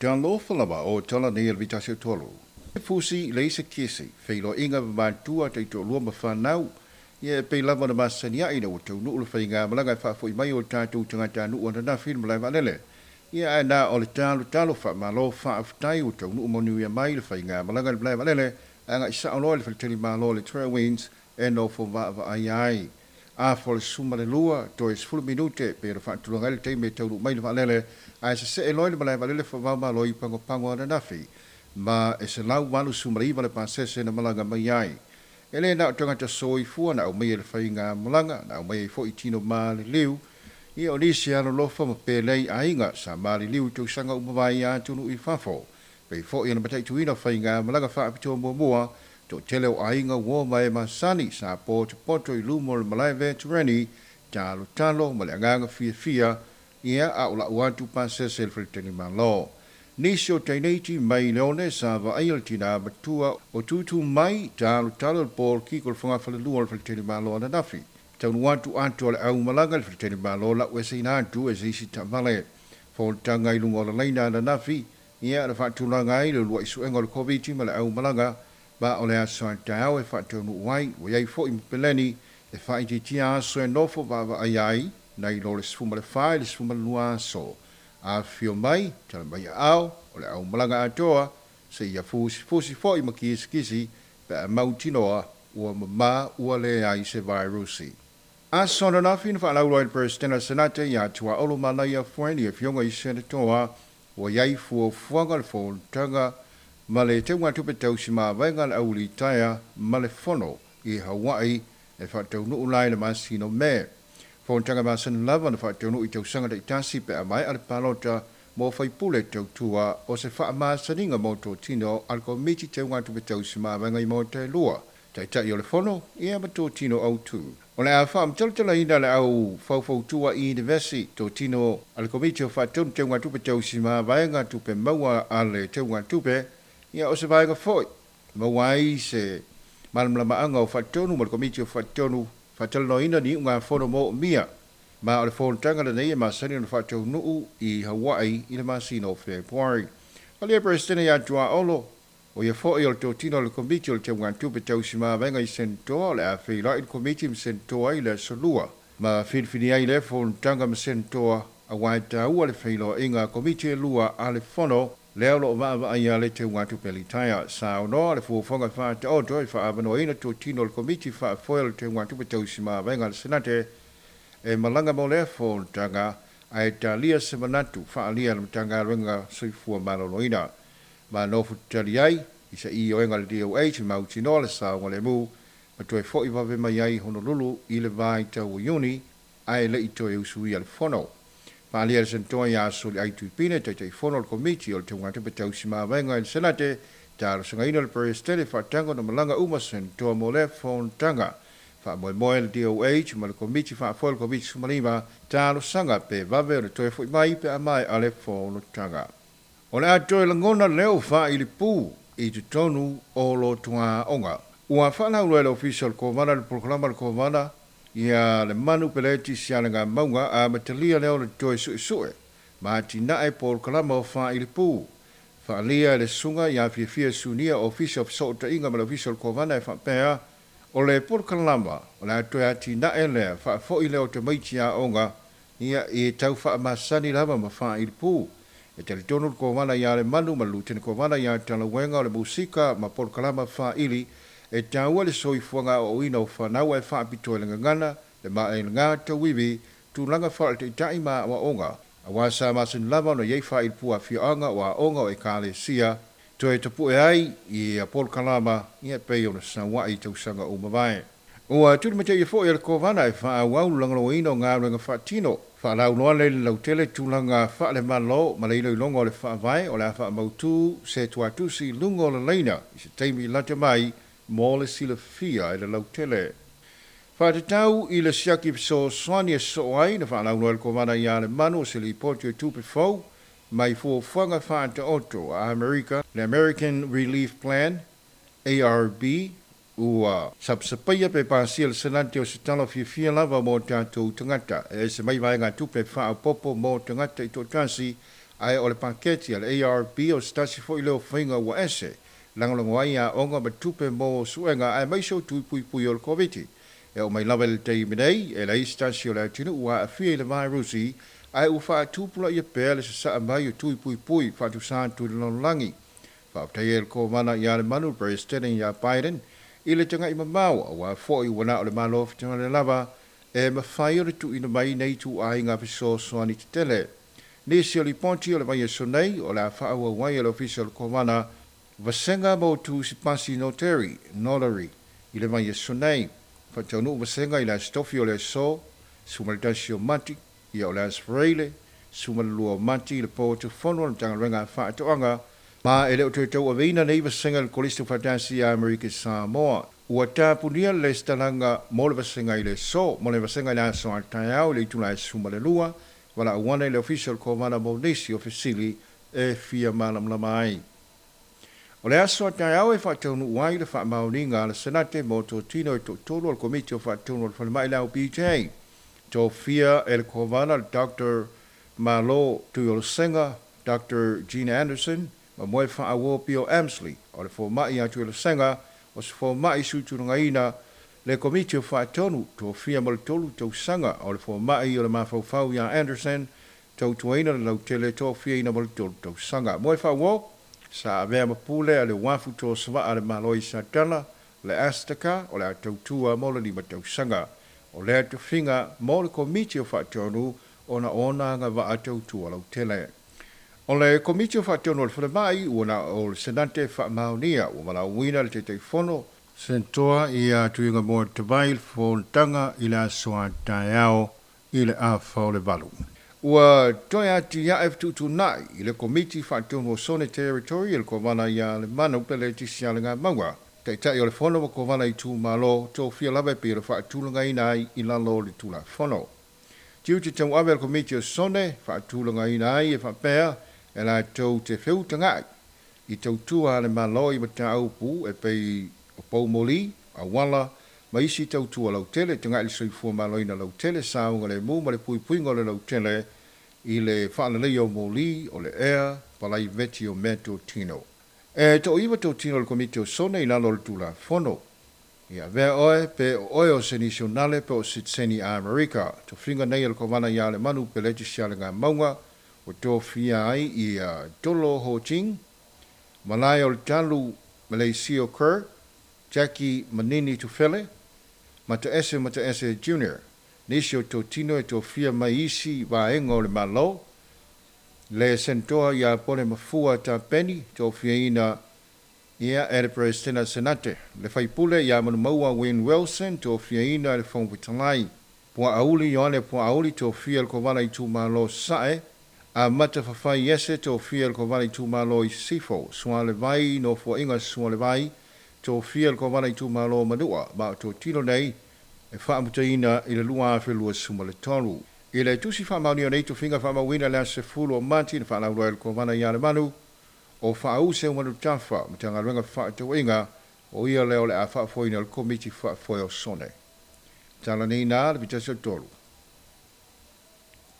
Talofa lava o tala nei o le vitasi o tolu. Fusi leisa kisi, feiloaiga ma matua taitoalua ma fanau. Ia e pei lava ona masani ai ina ua taunuu le faigamalaga e faafoi mai o tatou tagatanuu ananafi i le malae vaalele. Ia ae na o le talotalo faamalo faafetai ua taunuu manuia mai le faigamalaga i le malae vaalele agai sao loa i le faletalimalo le Trailwinds e nofo vaavaai ai. Afa o le 12 toe 10 minute pe ona faatulaga ai le taimi e taunuu mai le vaalele ae sesee loa i le malae vaalele faavaomalo i Pagopago ananafi ma e 189 le pasese na malaga mai ai. E le na o tagata soifua na aumaia i le faigamalaga, na aumaia ai foi tino maliliu, ia o nisi alolofa ma pelei aiga sa maliliu i tausaga uma mavae atunuu i fafo. Pei foi ona mataituina faigamalaga faapitoa muamua, toatele o aiga uo ma e masani sa potopoto i luma o le malae veterani, talotalo ma le agaga fiafia, ia a o lau atu pasese i le faletalimalo. Nisi o teineiti mai le one sa vaaia le tinā matua o tūtū mai talotalo i le polokiki o le fogafalelua o le faletalimalo ananafi. Taunuu atu atu o le aumalaga i le faletalimalo lau eseina atu e se isi taavale. Fonotaga i luga o le laina ananafi, ia na faatulaga ai le uluai suega o le Koviti ma le aumalaga, ma o le aso a taeao e faataunuu ai, ua i ai foi ma peleni e faaitiitia aso e nofo vaavaai ai, nai lo le 14 i le 12 aso. Afifio mai, tala mai aao, o le aumalaga atoa, seia fusifusi foi ma kisikisi pe a mautinoa ua mamā ua leai se vairusi. Aso ananafi na faalauiloa ai le Peresetene o le Senate ia Tuaolo Manaia Fuaini, afioga i Senatoa, ua i ai fuafuaga le fonotaga ma le teugatupe tausimavaega a le aulitaea ma le fono i Hawaii e faataunuu la i le masina o Me. Fonotaga masani lava na faataunuu i tausaga taitasi pe a maea le palota mo faipule tautua o se faamasaniga mo totino a le Komiti Teugatupe Tausimavaega i Maota e lua, Taitai o le Fono ia ma totino autu. O le a faamatalatalaina le au faufautua i Univesi totino a le Komiti o Faatonu Teugatupe Tausimavaega Tupe Maua a le Teugatupe, ia o se vaega foi maua ai se malamalamaaga o Faatonu ma le Komiti o Faatonu faatalanoaina ni iugafono moomia. Ma o le fonotaga lenei e masani ona faataunuu i Hawaii i le masina o Fepuari. Falia Peresetene ia Tuaolo, o ia foi o le totino o le Komiti o le Teugatupe Tausimavaega i Senatoa, o le a feiloai le Komiti ma Senatoa i le aso Lua. Ma filifili ai lea fonotaga ma Senatoa, aua e taua le feiloaiga a Komiti e lua a le Fono, lea o lo o vaavaaia le teugatupe litaea. Saunoa le fuafuaga faataoto e faaavanoaina totino o le Komiti faafoe o le Teugatupe Tausimavaega a le Senate e malaga mo lea fonotaga ae talia se manatu faaalia e le Matagaluega Soifua Maloloina. Ma nofo tatali ai i se ioega a le DOH mautinoa le saogalemu ma toe foi vave mai ai Honolulu i le vaitau o Iuni ae le i toe usuia le fono. Faaalia e le Senatoa ia Soliai Tuipine, Taitaifono o le Komiti o le Teugatupe Tausimavaega i le Senate, talosagaina le Peresetene faataga ona malaga uma Senatoa mo lea fonotaga. Faamoemoe le DOH ma le Komiti Faafoe o le Koviti-19 talosaga pe vave ona toe foi mai pe a maea le fonotaga. O le a toe lagona leo faailipu i totonu o lotoaoga. Ua faalauiloa e le Ofisa o le Kovana le polokalama a le Kovana ia le manu peleti sialegamauga amatalia lea o le toe suesue ma atinae polokalama o faailipu. Faaalia e le susuga ia Fiafia Sunia, Ofisa o Fesootaiga ma le Ofisa o le Kovana e faapea, o le polokalama o le a toe atinae lea faafoi lea o tamaiti aoga ia i tau faamasani lava ma faailipu. E talitonu le Kovana ia Lemanu ma le Lutene Kovana ia Talauega o le musika ma polokalama faaili e taua le soifuaga aoaoina o fanau ae faapitoa i le gagana, le maelega tauivi, tulaga faaletaitai ma aoaoga. Aua sa masani lava ona i ai faailipu afioaga o aoga o ekalesia toe tapue ai i polokalama ia e pei ona saua'i i tausaga ua mavae. Ua tulimataia foi e le Kovana e faaauau le lagolagoina o galuega faatino. Faalauiloa lea i le lautele tulaga faalemalo ma le iloiloga o le faavae o le a faamautu se tuatusi i luga o le laina i se taimi lata mai mo le silafia e le lautele. Faatatau i le siaki fesoasoani e sosoo ai na faalauiloa e le Kovana ia Lemanu o se lipoti o tupe fou mai fuafuaga faataoto a Amerika, le American Relief Plan, ARP, ua sapasapaia pe pasia le Senate o se tala fiafia lava mo tatou tagata e ese mai vaegatupe faaopoopo mo tagata i toatasi Ae o le paketi a le ARB o se tasi fo'i lea o faiga ua ese lagolago ai aoga ma tupe mo suega aemaise o tui puipui o le Koviti. E oo mai lava i le taimi nei, e leai se tasi o le atunuu ua aafia i le vairusi, ae ua faatupulaia pea le sasaa mai o tui puipui faatusa atu i le lalolagi. Faafetai ai le Kovana ia Lemanu Peresetene ia Biden i le taga'i mamao, auā fo'i ua na o le Malo Fetalai lava e mafai ona tuuina mai nei ituaiga fesoasoani tetele. Nisi o lipoti o le vaiaso nei o le a faaauau ai e le Ofisa o le Kovana vasega mo tusi pasi notary, notary, i le vaiaso nei. Faataunuu vasega i le Aso Tofi o le aso 11 o Mati, ia o le Aso Faraile 12 o Mati i le po atu fono a le Matagaluega a Faatoaga, ma e le o toe tauaveina nei vasega i le Kolisi Tuufaatasi ia Amerika Samoa. Ua tapunia le lesitalaga mo le vasega i le aso, mo le vasega i le aso a taeao i le itula e 12, valaauana i le Ofisa o le Kovana mo nisi o fesili e fia malamalama ai. O le aso a taeao e faataunuu ai le faamaoniga a le Senate mo totino e toatolu o le Komiti o Faatonu o le Falemai le LPJ. Tofia e le Kovana le Dr. Malo Tuiolosega, Dr. Gina Anderson, ma Moe Faauo Pio Amsley. O le foma'i ia Tuiolosega o se foma'i suitulagaina le Komiti o Faatonu, tofia mo le 3 tausaga. O le foma'i o le mafaufau ia Anderson, tautuaina le lautele, tofiaina mo le 3 tausaga. Moe Faauo sa avea ma pule a le uafu tosava'a a le Malo i Satala, le Astaka, o le a tautua mo le 5 tausaga. O lea tofiga mo le Komiti o Faatonu ona ona agava'a tautua lautele. O le Komiti o Faatonu o le Falemai ua na o le Senate faamaonia, ua valaauina le Taitaifono Senatoa ia Tuigamua Tavai le fonotaga i le aso a taeao i le 7:30. Ua toe atiae fetuutuunai i le Komiti Faatonu o Sone Territory e le Kovana ia Lemanu Peletisi Alagamaua, Taitai o le Fono ma Kovana itumalo tofia lava e pei ona faatulagaina ai i lalo o le Tulafono. Tiute tauave a le Komiti o Sone faatulagaina ai e faapea e latou te feutaga'i i tautua a le Malo i mataupu e pei o poumoli, auala ma isi tautua lautele, taga'i le soifua maloina lautele, saogalemu ma le puipuiga o le lautele i le faaleleia o moli o le ea, palaiveti o meatotino. E toaiva totino o le Komiti o Sone i lalo o le Tulafono. Ia avea oe pe o oe o se nisionale pe o sitiseni a Amerika. Tofiga nei a le Kovana ia Lemanu Peleti Sialegamauga ua tofia ai ia Tolo Ho Ching, Malae o le Talu Malaysia Kerr, Jackie Manini Tufele, Mataese Mataese Jr. Nisi o totino e tofia mai isi vaega o le Malo, le Senatoa ia Pone Mafua Tapeni, tofiaina ia e le Peresetene Senate, le faipule ia Manumaua Wayne Wilson, tofiaina e le Fofoga Fetalai, Puaauli Ioane Puaauli, tofia e le Kovana itumalo Sae, Amata Fafai Iese, tofia e le Kovana itumalo i Sisifo, Sualevai Nofoaiga Sualevai, tofia e le Kovana itumalo Manua, ma o totino nei e faamutaina i le 2023. I le tusi faamaonia o nei tofiga faamauina le aso 10 o Mati na faalauiloa e le Kovana ia Lemanu, o Faause Umanutafa Matagaluega Fefaatauaiga, o ia lea o le a faafoeina le Komiti Faafoe o Sone. Tala nei na le 1 o 3.